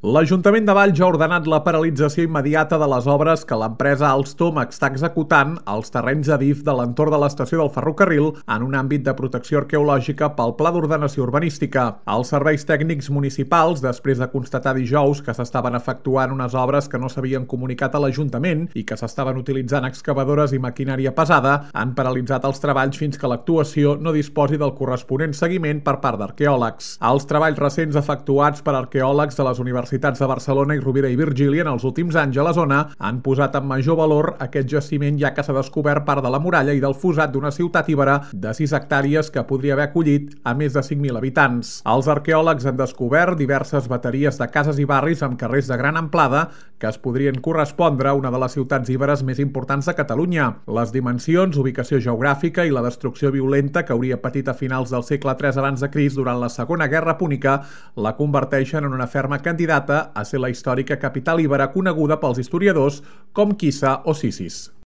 L'Ajuntament de Valls ha ordenat la paralització immediata de les obres que l'empresa Alstom està executant als terrenys d'Adif de l'entorn de l'estació del ferrocarril en un àmbit de protecció arqueològica pel Pla d'Ordenació Urbanística. Els serveis tècnics municipals, després de constatar dijous que s'estaven efectuant unes obres que no s'havien comunicat a l'Ajuntament i que s'estaven utilitzant excavadores i maquinària pesada, han paralitzat els treballs fins que l'actuació no disposi del corresponent seguiment per part d'arqueòlegs. Els treballs recents efectuats per arqueòlegs de les universitats de Barcelona i Rovira i Virgili en els últims anys a la zona han posat en major valor aquest jaciment, ja que s'ha descobert part de la muralla i del fossat d'una ciutat ibera de 6 hectàrees que podria haver acollit a més de 5.000 habitants. Els arqueòlegs han descobert diverses bateries de cases i barris amb carrers de gran amplada que es podrien correspondre a una de les ciutats íberes més importants de Catalunya. Les dimensions, ubicació geogràfica i la destrucció violenta que hauria patit a finals del segle III abans de Crist durant la Segona Guerra Púnica la converteixen en una ferma candidata a ser la històrica capital ibera coneguda pels historiadors com Kissa o Sisis.